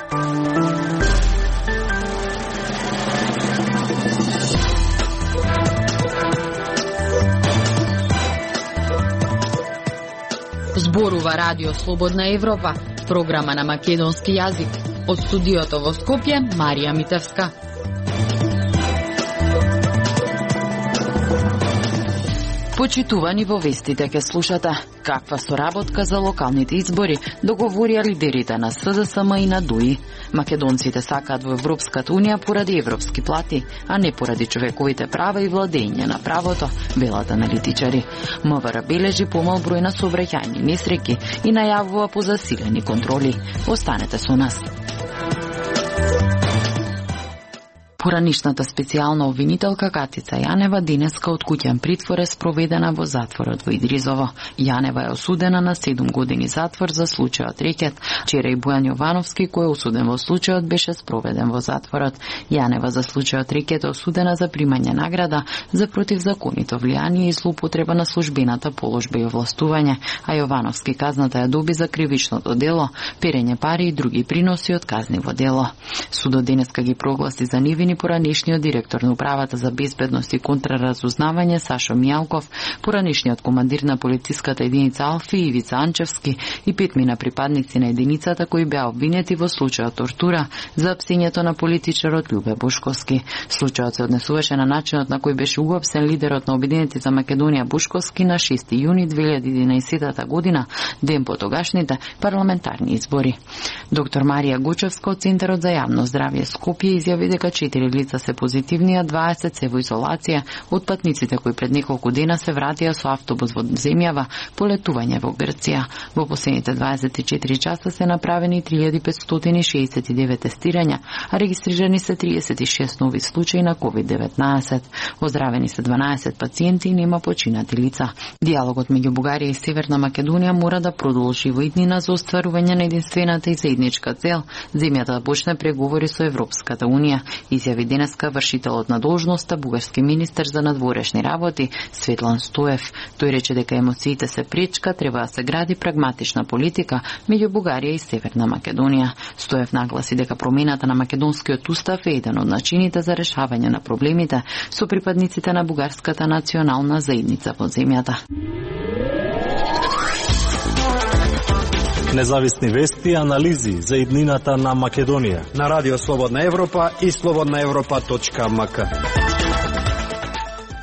Зборува Радио Слободна Европа, програма на македонски јазик. Од студиото во Скопје, Марија Митевска. Почитувани во вестите ке слушате каква соработка за локалните избори договорија лидерите на СДСМ и на ДУИ. Македонците сакаат во Европската унија поради европски плати, а не поради човековите права и владење на правото, велат аналитичари. МВР бележи помал број на сообраќајни несреќи и најавува позасилени контроли. Останете со нас. Поранишната специјална обвинителка Катица Јанева денеска од куќен притвор е спроведена во затворот во Идризово. Јанева е осудена на 7 години затвор за случајот рекет. Вчера и Бојан Јовановски, кој е осуден во случајот, беше спроведен во затворот. Јанева за случајот рекет е осудена за примање награда за противзаконито влијание и злоупотреба на службената положба и овластување, а Јовановски казната ја доби за кривичното дело, перење пари и други приноси од казниво дело. Судот денеска ги прогласи за невини поранешниот директор на управата за безбедност и контраразузнавање Сашо Мијалков, поранешниот командир на полициската единица Алфи Ивица Анчевски и 5 припадници на единицата кои беа обвинети во случајот тортура за апсењето на политичарот Љубе Бушковски. Случајот се однесуваше на начинот на кој беше уапсен лидерот на Обединети за Македонија Бушковски на 6 јуни 2011 година, ден по тогашните парламентарни избори. Доктор Марија Гучевска од Центарот за јавно здравје Скопје изјави дека 4 лица се позитивни, а 20 се во изолација од патниците кои пред неколку дена се вратија со автобус во земјава по летување во Грција. Во последните 24 часа се направени 3569 тестирања, а регистрирани се 36 нови случаи на COVID-19. Оздравени се 12 пациенти и нема починати лица. Диалогот меѓу Бугарија и Северна Македонија мора да продолжи во иднина за остварување на единствената и заедничка цел земјата да почне преговори со Европската унија, изјави денеска вршителот на должноста бугарски министер за надворешни работи Светлан Стоев. Тој рече дека емоциите се пречка, треба да се гради прагматична политика меѓу Бугарија и Северна Македонија. Стоев нагласи дека промената на македонскиот устав е еден од начините за решавање на проблемите со припадниците на бугарската национална заедница во земјата. Независни вести и анализи за иднината на Македонија на Радио Слободна Европа и slobodnaevropa.mk.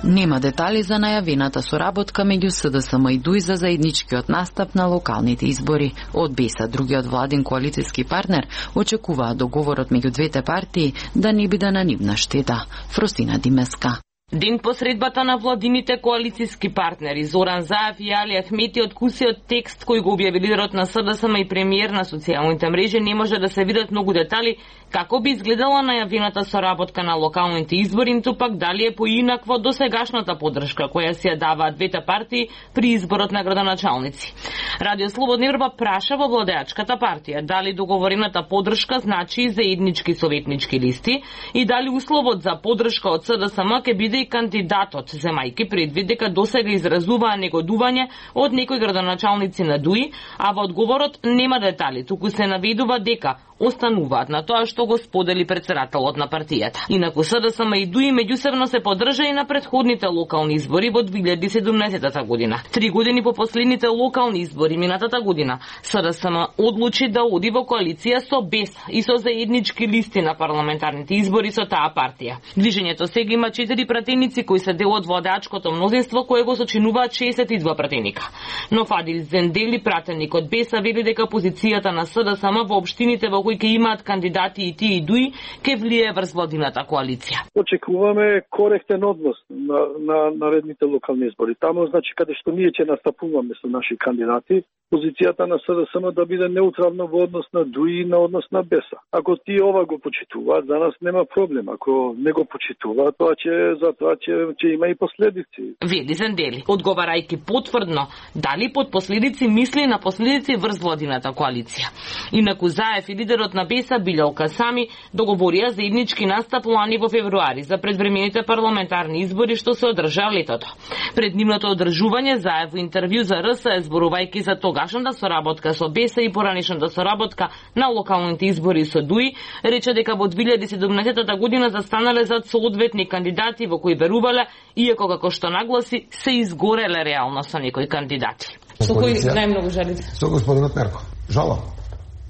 Нема детали за најавената соработка меѓу СДСМ и ДУИ за заедничкиот настап на локалните избори. Од БЕСА, другиот владин коалициски партнер, очекуваат договорот меѓу двете партии да не биде на нивна штета. Фросина Димеска. Ден по средбата на владините коалициски партнери Зоран Заев и Али Ахмети од кусиот текст кој го објави лидерот на СДСМ и премиер на социјалните мрежи не може да се видат многу детали како би изгледала најавената соработка на локалните избори, ниту пак дали е поинакво до сегашната поддршка која си ја даваат двете партии при изборот на градоначалници. Радио Слободна Европа праша во владеачката партија дали договорената поддршка значи заеднички советнички листи и дали условот за поддршка од СДСМ ќе биде и кандидатот, земајки предвид дека досега изразуваа негодување од некои градоначалници на ДУИ, а во одговорот нема детали, туку се наведува дека остануваат на тоа што го сподели претседателот на партијата. Инаку СДСМ и ДУИ меѓусебно се поддржа и на претходните локални избори во 2017 година. 3 години по последните локални избори минатата година, СДСМ одлучи да оди во коалиција со БЕС и со заеднички листи на парламентарните избори со таа партија. Движењето сега има 4 пратеници кои се дел од владеачкото мнозинство кое го сочинуваат 62 пратеника. Но Фадил Зендели, пратеник од БЕС, вели дека позицијата на СДСМ во општините во кои ќе имаат кандидати и тие и ДУИ ќе влие врз владината коалиција. Очекуваме коректен однос на наредните локални избори. Таму значи каде што ние ќе настапуваме со наши кандидати, позицијата на СДСМ да биде неутрална во однос на ДУИ и на однос на БЕС. Ако тие ова го почитуваат, за нас нема проблем. Ако не го почитуваат, тоа ќе има и последици. Вели Зендели, одговарајќи потврдно дали под последици мисли на последици врз владината коалиција. Инаку Заев и лидерот на БЕСА Билјал Касами договорија заеднички настап лани во февруари за предвремените парламентарни избори што се одржаа летото. Пред нивното одржување заев во интервју за РС, зборувајќи за тогашната соработка со БЕСА и поранешната соработка на локалните избори со ДУИ, рече дека во 2017 година застанале зад соодветни кандидати во кои верувале, иако како што нагласи се изгореле реално со некои кандидати. Со кои најмногу жалите? Со господинот Мерко. Жалам.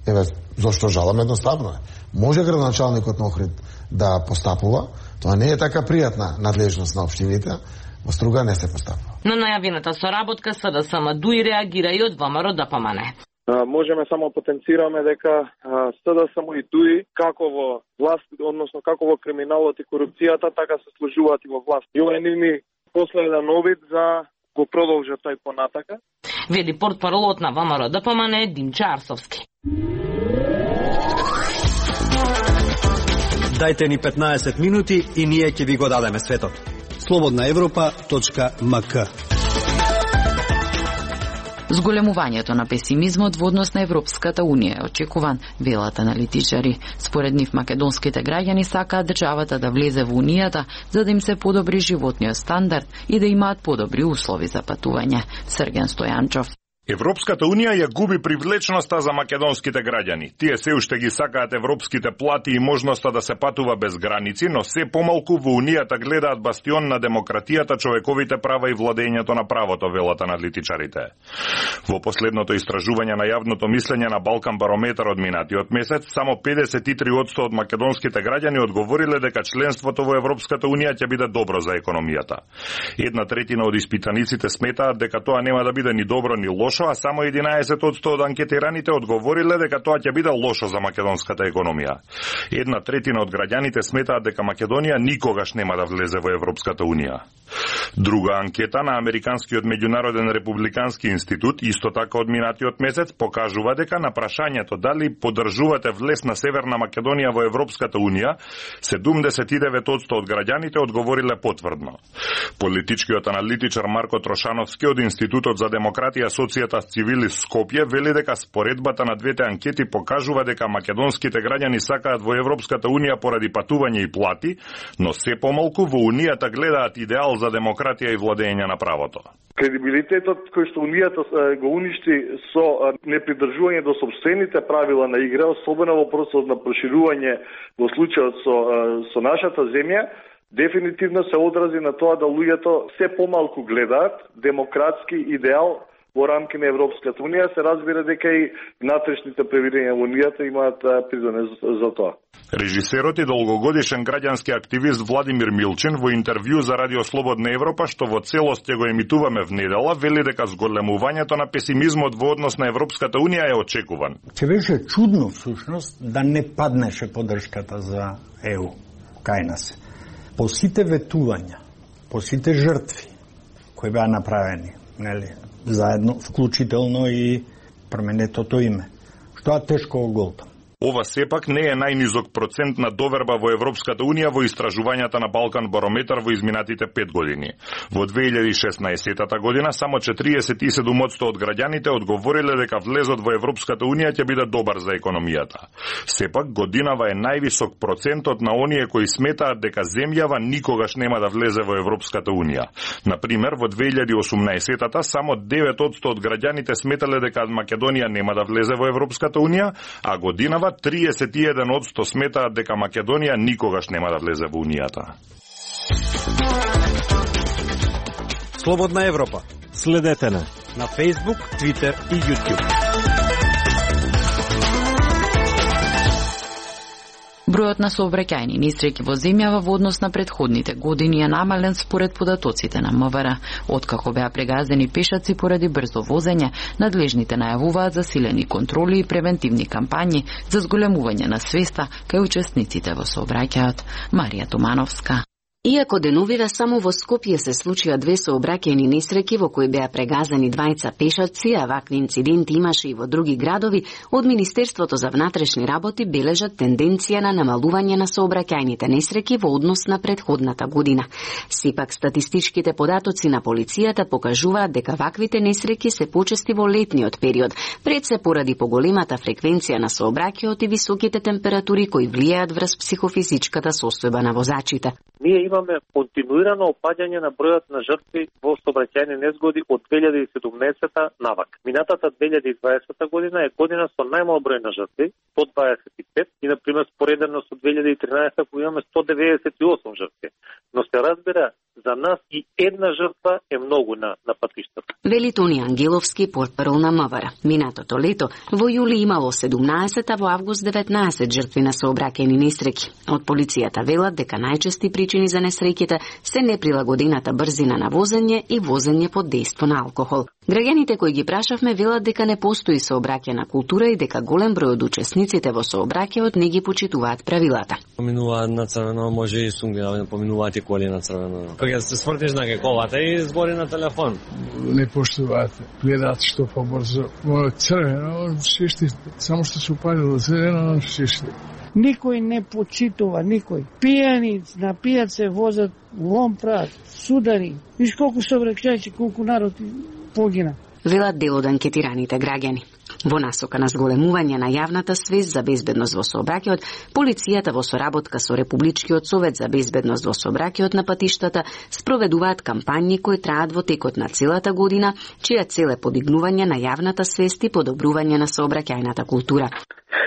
Еве, зошто жалам? Едноставно е. Може градоначалникот на Охрид да постапува, тоа не е така пријатна надлежност на општините, во Струга не се постапува. На најавената соработка СДСМ ДУИ реагира и од ВМРО ДПМН. Можеме само потенцираме дека СДСМ и ДУИ како во власт, односно како во криминалот и корупцијата, така се сложуваат и во власт. И ова е нивни последен обид за го продолжат тој понатака. Веди портпаролот на ВМРО ДПМН Димче Арсовски. Дајте ни 15 минути и ние ќе ви го дадеме светот. slobodnaevropa.mk. Зголемувањето на песимизмот во однос на Европската Унија е очекуван, велат аналитичари. Според нив македонските граѓани сакаат државата да влезе во Унијата за да им се подобри животниот стандард и да имаат подобри услови за патување. Срген Стојанчов. Европската Унија ја губи привлечноста за македонските граѓани. Тие се уште ги сакаат европските плати и можноста да се патува без граници, но се помалку во Унијата гледаат бастион на демократијата, човековите права и владењето на правото, велат аналитичарите. Во последното истражување на јавното мислење на Балкан Барометар од минатиот месец, само 53% од македонските граѓани одговориле дека членството во Европската Унија ќе биде добро за економијата. 1/3 од испитаниците сметаат дека тоа нема да биде ни добро ни лошо, а само 11% од анкетираните одговориле дека тоа ќе биде лошо за македонската економија. 1/3 од граѓаните сметаат дека Македонија никогаш нема да влезе во Европската Унија. Друга анкета на Американскиот меѓународен републикански институт, исто така од минатиот месец, покажува дека на прашањето дали поддржувате влез на Северна Македонија во Европската Унија, 79% од граѓаните одговориле потврдно. Политичкиот аналитичар Марко Трошановски од Институтот за демократија, социјата с цивили Скопје вели дека споредбата на двете анкети покажува дека македонските граѓани сакаат во Европската Унија поради патување и плати, но се помалку во Унијата гледаат идеал за демократија и владење на правото. Кредибилитетот кој што Унијата го уништи со непридржување до сопствените правила на игра, особено во процесот на проширување во случајот со нашата земја, дефинитивно се одрази на тоа да луѓето се помалку гледаат демократски идеал во рамки на Европската Унија. Се разбира дека и внатрешните превирења во Унијата имаат придонес за тоа. Режисерот и долгогодишен граѓански активист Владимир Милчин во интервју за Радио Слободна Европа, што во целост ќе го емитуваме внедела, вели дека зголемувањето на песимизмот во однос на Европската Унија е очекуван. Ќе беше чудно всушност да не паднеше поддршката за ЕУ кај нас. По сите ветувања, по сите жртви кои беа направени, нели, заедно, вклучително и променетото име, што е тешко оголтам. Ова сепак не е најнизок процент на доверба во Европската Унија во истражувањата на Балкан Барометар во изминатите 5 години. Во 2016 година само 47% од граѓаните одговориле дека влезот во Европската Унија ќе биде добар за економијата. Сепак годинава е највисок процентот на оние кои сметаат дека земјава никогаш нема да влезе во Европската Унија. Например, во 2018 само 9% од граѓаните сметале дека Македонија нема да влезе во Европската Унија, а годинава 31% сметаат дека Македонија никогаш нема да влезе во Унијата. Слободна Европа. Следете на Facebook, Twitter и YouTube. Бројот на сообраќајни несреќи во земјава во однос на претходните години е намален според податоците на МВР. Откако беа прегазени пешаци поради брзо возење, надлежните најавуваат засилени контроли и превентивни кампањи за зголемување на свеста кај учесниците во сообраќајот. Марија Тумановска. Иако деновиве само во Скопје се случија 2 сообраќајни несреќи во кои беа прегазени 2 пешаци, а вакви инциденти имаше и во други градови, од Министерството за внатрешни работи бележат тенденција на намалување на сообраќајните несреќи во однос на претходната година. Сепак статистичките податоци на полицијата покажуваат дека ваквите несреќи се почести во летниот период, пред се поради поголемата фреквенција на сообраќајот и високите температури кои влијаат врз психофизичката состојба на возачите. Ние имаме континуирано опаѓање на бројот на жртви во сообраќајни незгоди од 2017 навак. Минатата 2020 година е година со најмал број на жртви, 125, и например споредено со 2013 кога имаме 198 жртви. Но се разбира, за нас и една жртва е многу на патиштата. Вели Тони Ангеловски, портпарол на МВР. Минатото лето во јули имало 17, а во август 19 жртви на сообраќајни несреќи. Од полицијата велат дека најчести причини за несреќите се неприлагодената брзина на возење и возење под дејство на алкохол. Граѓаните кои ги прашавме велат дека не постои сообраќајна култура и дека голем број од учесниците во сообраќајот не ги почитуваат правилата. Поминуваат на црвено, може и сунги да поминуваат и коли на црвено. Кога се свртиш на геколата и збори на телефон. Не поштуваат, гледаат што побрзо. Црвено, шишти, само што се упалило зелено, шишти. Никој не почитува, никој. Пијани, напијат се, возат, лом прават, судари. Виж колку сообраќајци, колку народ погина. Велат дел од анкетираните граѓани. Во насока на зголемување на јавната свест за безбедност во сообраќајот, полицијата во соработка со Републичкиот совет за безбедност во сообраќајот на патиштата спроведуваат кампањи кои траат во текот на целата година, чија цел е подигнување на јавната свест и подобрување на сообраќајната култура.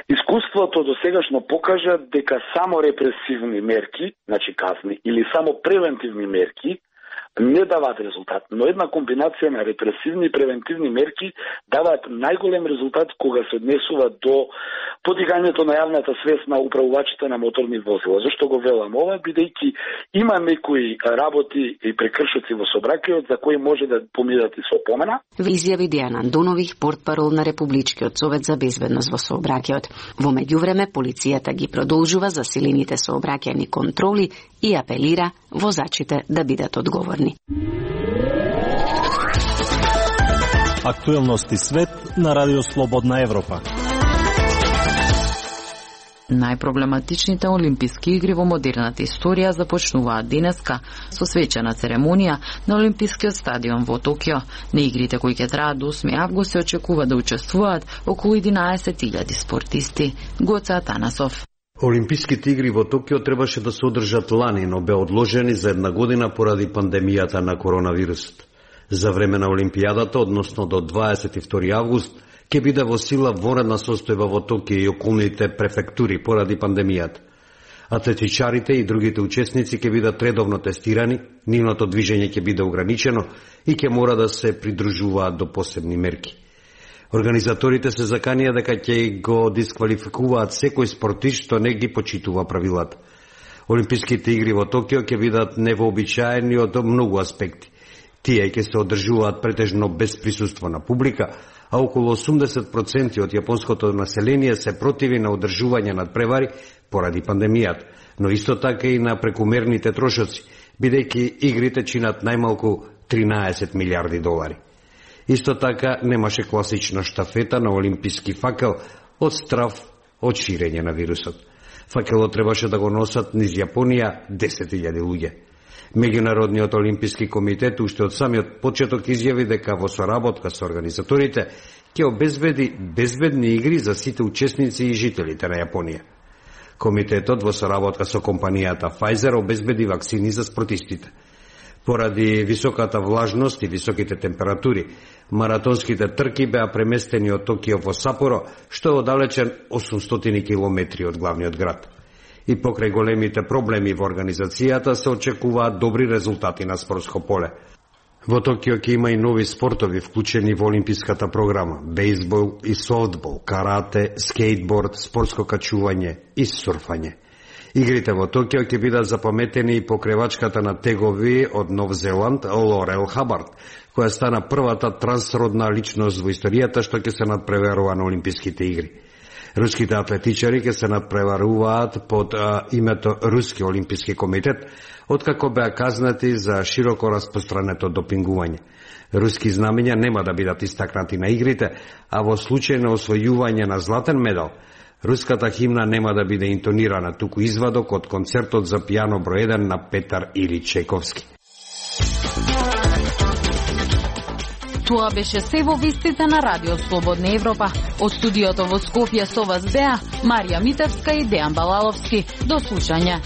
Искуството досегашно покажа дека само репресивни мерки, значи казни, или само превентивни мерки, не даваат резултат, но една комбинација на репресивни и превентивни мерки даваат најголем резултат кога се однесува до подигањето на јавната свест на управувачите на моторни возила. Зошто го велам ова? Бидејќи има некои работи и прекршоци во сообраќајот за кои може да поминат и со опомена. Изјави Дејан Андонових, портпарол на Републичкиот совет за безбедност во сообраќајот. Во меѓувреме полицијата ги продолжува засилените сообраќајни контроли и апелира возачите да бидат одговорни. Актуелности свет на Радио Слободна Европа. Најпроблематичните олимписки игри во модерната историја започнуваат денеска со свечена церемонија на Олимпискиот стадион во Токио. На игрите кои ќе траат до 8 август се очекува да учествуваат околу 11.000 спортисти. Гоце Атанасов. Олимписките игри во Токио требаше да се одржат лани, но бе одложени за една година поради пандемијата на коронавирусот. За време на Олимпијадата, односно до 22 август, ќе биде во сила вонредна состојба во Токио и околните префектури поради пандемијата. Атлетичарите и другите учесници ќе бидат редовно тестирани, нивното движење ќе биде ограничено и ќе мора да се придружуваат до посебни мерки. Организаторите се заканија дека ќе го дисквалификуваат секој спортист што не ги почитува правилата. Олимписките игри во Токио ќе бидат невообичаени од многу аспекти. Тие ќе се одржуваат претежно без присуство на публика, а околу 80% од јапонското население се противи на одржување надпревари поради пандемијата, но исто така и на прекумерните трошоци, бидејќи игрите чинат најмалку 13 милиарди долари. Исто така немаше класична штафета на олимписки факел од страв од ширење на вирусот. Факелот требаше да го носат низ Јапонија 10.000 луѓе. Меѓународниот олимписки комитет уште од самиот почеток изјави дека во соработка со организаторите ќе обезбеди безбедни игри за сите учесници и жителите на Јапонија. Комитетот во соработка со компанијата Pfizer обезбеди вакцини за спортистите. Поради високата влажност и високите температури, маратонските трки беа преместени од Токио во Сапоро, што е оддалечен 800 километри од главниот град. И покрај големите проблеми во организацијата се очекуваат добри резултати на спортско поле. Во Токио ќе има и нови спортови вклучени во олимписката програма: бейсбол и софтбол, карате, скейтборд, спортско качување и сурфање. Игрите во Токио ќе бидат запаметени и покревачката на тегови од Нов Зеланд Лорел Хабард, која стана првата трансродна личност во историјата што ќе се надпреварува на Олимписките игри. Руските атлетичари ќе се надпреваруваат под името Руски олимписки комитет, откако беа казнати за широко распространето допингување. Руски знамења нема да бидат истакнати на игрите, а во случај на освојување на златен медал, руската химна нема да биде интонирана, туку извадок од концертот за пијано број 1 на Петар Или Чайковски. Тоа беше се во вестите на Радио Слободна Европа. Од студиото во Скопје со вас беа Марија Митевска и Дејан Балаловски. До слушање.